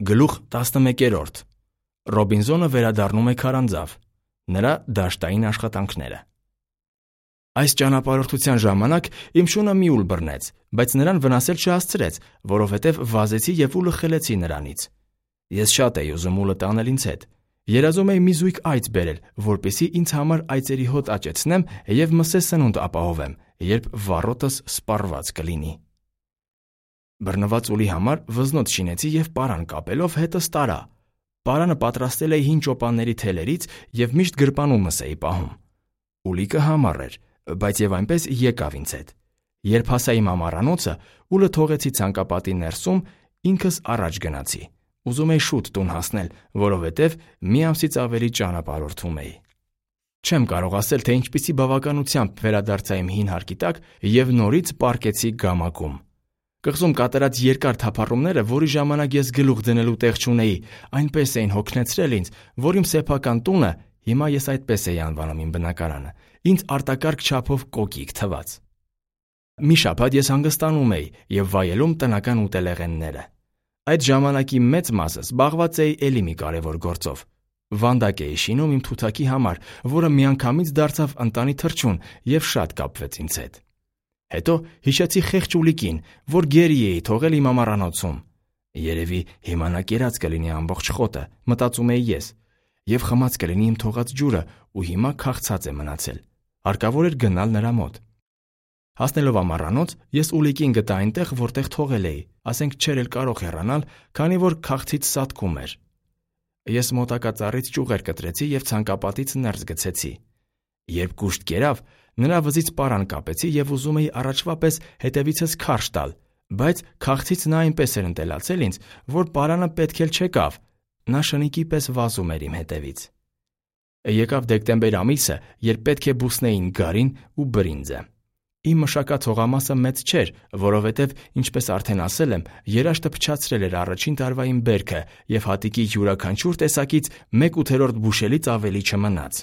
Գլուխ 11. Ռոբինզոնը վերադառնում է քարանձավ։ Նրա դաշտային աշխատանքները։ Այս ճանապարհորդության ժամանակ իմ շունը մի ուլ բռնեց, բայց նրան վնասել չհասցրեց, որովհետև վազեցի և ուլը խլեցի նրանից։ Ես շատ էի ուզում ուլը տանել ինձ հետ։ Երազում էի մի զույգ այծ բերել, որպեսզի ինձ համար այծերի հոտ աճեցնեմ և մսե սնունդ ապահովեմ, երբ վառոտս սպառված կլինի։ Բռնված ուլի համար վզնոց շինեցի և պարան կապելով հետս տարա։ Պարանը պատրաստել էի հին ճոպանների թելերից և միշտ գրպանում մս էի պահում։ Ուլիկը համառ էր, բայց և այնպես եկավ ինձ հետ։ Երբ հասա իմ ամառանոցը, ուլը թողեցի ցանկապատի ներսում, ինքս առաջ գնացի։ Ուզում էի շուտ տուն հասնել, որովհետև մի ամսից ավելի ճանապարհորդում էի։ Չեմ կարող ասել, թե ինչպիսի բավականությամբ վերադարձա իմ հին հարկի տակ և նորից պառկեցի գամակում։ Կղզում կատարած երկար թափառումները, որի ժամանակ ես գլուխ դնելու տեղ չունեի, այնպես էին հոգնեցրել ինձ, որ իմ սեփական տունը, հիմա ես այդպես էի անվանում իմ բնակարանը, ինձ արտակարգ չափով կոկիկ թվաց։ Մի շաբաթ ես հանգստանում էի և վայելում տնական ուտելեղենները։ Այդ ժամանակի մեծ մասը զբաղված էի էլի մի կարևոր գործով։ Վանդակ էի շինում իմ թութակի համար, որը միանգամից դարձավ ընտանի թռչուն և շատ կապվեց ինձ հետ։ Հետո հիշեցի խեղճ ուլիկին, որ գերի էի թողել իմ ամառանոցում։ Երևի հիմա նա կերած կլինի ամբողջ խոտը, մտածում էի ես, և խմած կլինի իմ թողած ջուրը ու հիմա քաղցած է մնացել։ Հարկավոր էր գնալ նրա մոտ։ Հասնելով ամառանոց, ես ուլիկին գտա այնտեղ, որտեղ թողել էի, ասենք չէր էլ կարող հեռանալ, քանի որ քաղցից սատկում էր։ Ես մոտակա ծառից ճյուղեր կտրեցի և ցանկապատից ներս գցեցի։ Երբ կուշտ կերավ, նրա վզից պարան կապեցի և ուզում էի առաջվա պես հետևիցս քարշ տալ, բայց քաղցից նա այնպես էր ընտելացել ինձ, որ պարանը պետք էլ չեկավ, նա շնիկի պես վազում էր իմ հետևից։ Եկավ դեկտեմբեր ամիսը, երբ պետք է բուսնեին գարին ու բրինձը։ Իմ մշակած հողամասը մեծ չէր, որովհետև, ինչպես արդեն ասել եմ, երաշտը փչացրել էր առաջին տարվա իմ բերքը և հատիկի յուրաքանչյուր տեսակից 1/8 բուշելից ավելի չմնաց։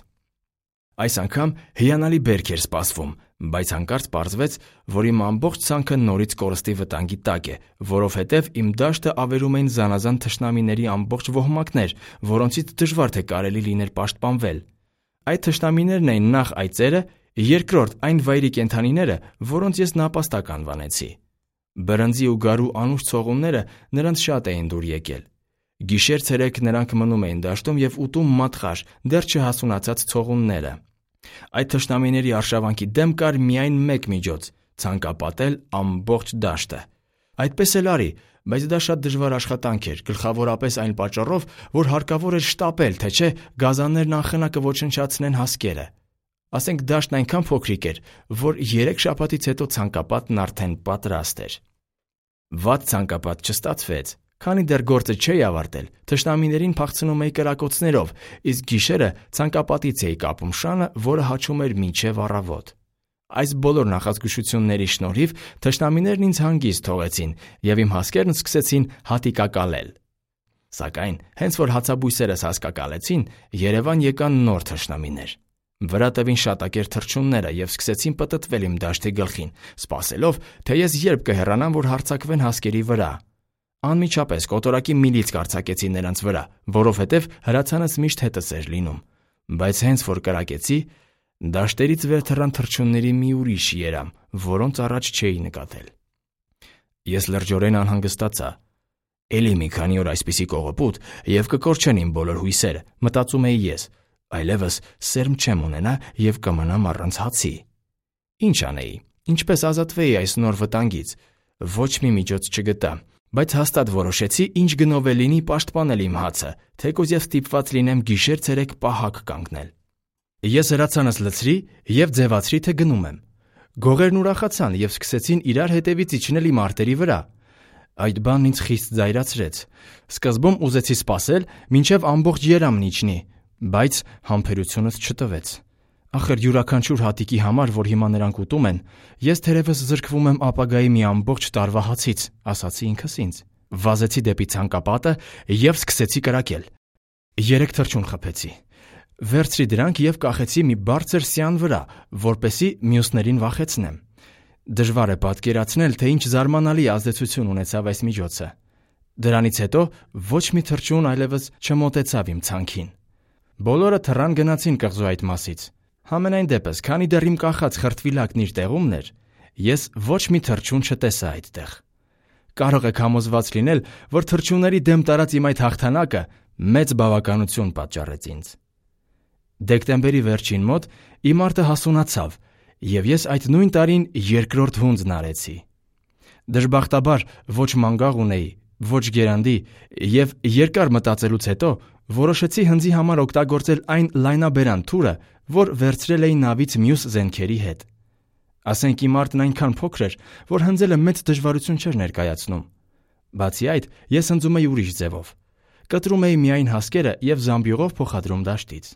Այս անգամ հիանալի բերք էր սպասվում, բայց հանկարծ պարզվեց, որ իմ ամբողջ ցանքը նորից կորստի վտանգի տակ է, որովհետև իմ դաշտը ավերում էին զանազան թշնամիների ամբողջ ոհմակներ, որոնցից դժվար թե կարելի լիներ պաշտպանվել։ Այդ թշնամիներն էին նախ այծերը, երկրորդ այն վայրի կենդանիները, որոնց ես նապաստակ անվանեցի։ Բրնձի ու գարու անուշ ցողունները նրանց շատ էին դուր եկել։ Գիշեր-ցերեկ նրանք մնում էին դաշտում և ուտում մատղաշ, դեռ չհասունացած ցողունները։ Այդ թշնամիների արշավանքի դեմ կար միայն մեկ միջոց՝ ցանկապատել ամբողջ դաշտը։ Այդպես էլ արի, բայց դա շատ դժվար աշխատանք էր, գլխավորապես այն պատճառով, որ հարկավոր էր շտապել, թե չէ գազաններն անխնա կոչնչացնեն հասկերը։ Ասենք դաշտն այնքան փոքրիկ էր, որ 3 շաբաթից հետո ցանկապատն արդեն պատրաստ էր։ Վատ ցանկապատ չստացվեց, քանի դեռ գործը չէի ավարտել, թշնամիներին փախցնում էի կրակոցներով, իսկ գիշերը ցանկապատից էի կապում շանը, որը հաչում էր մինչև առավոտ։ Այս բոլոր նախազգուշությունների շնորհիվ թշնամիներն ինձ հանգիստ թողեցին, և իմ հասկերն սկսեցին հատիկակալել։ Սակայն, հենց որ հացաբույսերս հասկակալեցին, Երևան եկան նոր թշնամիներ։ Վրա տվին շատակեր թռչունները և սկսեցին պտտվել իմ դաշտի գլխին, սպասելով, թե ես երբ կհեռանամ, որ հարձակվեն հասկերի վրա։ Անմիջապես կոտորակի միլիցք արձակեցի նրանց վրա, որովհետև հրացանս միշտ հետս էր լինում, բայց հենց որ կրակեցի, դաշտերից վեր թռան թռչունների մի ուրիշ երամ, որոնց առաջ չէի նկատել։ Ես լրջորեն անհանգստացա։ Էլի մի քանի օր այսպիսի կողոպուտ, և կկորչեն իմ բոլոր հույսերը, մտածում էի ես, այլևս սերմ չեմ ունենա և կմնամ առանց հացի։ Ինչ անեի, ինչպես ազատվեի այս նոր վտանգից։ Ոչ մի միջոց չգտա, բայց հաստատ որոշեցի ինչ գնով է լինի պաշտպանել իմ հացը, թեկուզ և ստիպված լինեմ գիշեր-ցերեկ պահակ կանգնել։ Ես հրացանս լցրի և ձևացրի, թե գնում եմ։ Գողերն ուրախացան և սկսեցին իրար հետևից իջնել իմ արտերի վրա։ Այդ բանն ինձ խիստ զայրացրեց։ Սկզբում ուզեցի սպասել, մինչև ամբողջ երամն իջնի, բայց համբերությունս չտվեց։ Ախր յուրաքանչյուր հատիկի համար, որ հիմա նրանք ուտում են, ես թերևս զրկվում եմ ապագայի մի ամբողջ տարվա հացից, ասացի ինքս ինձ։ Վազեցի դեպի ցանկապատը և սկսեցի կրակել։ 3 թռչուն խփեցի։ Վերցրի դրանք և կախեցի մի բարձր սյան վրա, որպեսզի մյուսներին վախեցնեմ։ Դժվար է պատկերացնել, թե ինչ զարմանալի ազդեցություն ունեցավ այս միջոցը։ Դրանից հետո ոչ մի թռչուն այլևս չմոտեցավ իմ ցանքին։ Բոլորը թռան գնացին կղզու այդ մասից։ Համենայն դեպս, քանի դեռ իմ կախած խրտվիլակն իր տեղումն էր, ես ոչ մի թռչուն չտեսա այդտեղ։ Կարող եք համոզված լինել, որ թռչունների դեմ տարած իմ այդ հաղթանակը մեծ բավականություն պատճառեց ինձ։ Դեկտեմբերի վերջին մոտ իմ արտը հասունացավ, եւ ես այդ նույն տարին երկրորդ հունձն արեցի։ Դժբախտաբար ոչ մանգաղ ունեի, ոչ գերանդի, եւ երկար մտածելուց հետո որոշեցի հնձի համար օգտագործել այն լայնաբերան թուրը, որ վերցրել էի նավից մյուս զենքերի հետ։ Ասենք իմ արտն այնքան փոքր էր, որ հնձելը մեծ դժվարություն չէր ներկայացնում։ Բացի այդ, ես հնձում էի ուրիշ ձևով։ Կտրում էի միայն հասկերը եւ զամբյուղով փոխադրում դաշտից։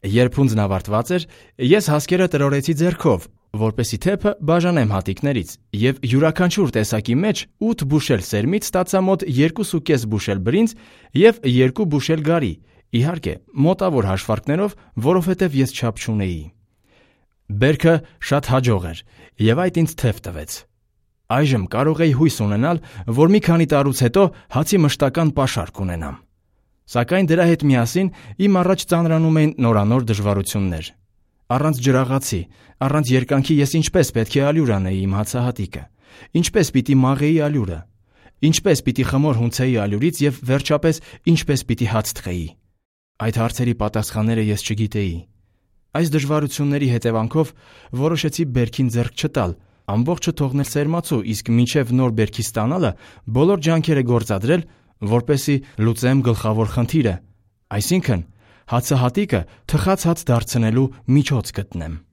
Երբ հունձն ավարտված էր, ես հասկերը տրորեցի ձեռքով, որպեսզի թեփը բաժանեմ հատիկներից, եւ յուրաքանչյուր տեսակի մեջ 8 բուշել սերմից ստացա մոտ 2.5 բուշել բրինձ եւ 2 բուշել գարի, իհարկե մոտավոր հաշվարկներով, որովհետեւ ես չափ չունեի։ Բերքը շատ հաջող էր, եւ այդ ինձ թեփ տվեց։ Այժմ կարող էի հույս ունենալ, որ մի քանի տարուց հետո հացի մշտական պաշար կունենամ։ Սակայն դրա հետ միասին իմ առաջ ծանրանում էին նորանոր դժվարություններ։ Առանց ջրաղացի, առանց երկանքի ես ինչպես պետք է ալյուր անեի իմ հացահատիկը, ինչպես պիտի մաղեի ալյուրը, ինչպես պիտի խմոր հունցեի ալյուրից եւ վերջապես ինչպես պիտի հաց թխեի։ Այդ հարցերի պատասխանները ես չգիտեի։ Այս դժվարությունների հետևանքով որոշեցի բերքին ձեռք չտալ, ամբողջը թողնել սերմացու, իսկ մինչև նոր բերքի ստանալը բոլոր ջանքերը գործադրել, որպեսզի լուծեմ գլխավոր խնդիրը, այսինքն հացահատիկը թխած հաց դարձնելու միջոց գտնեմ։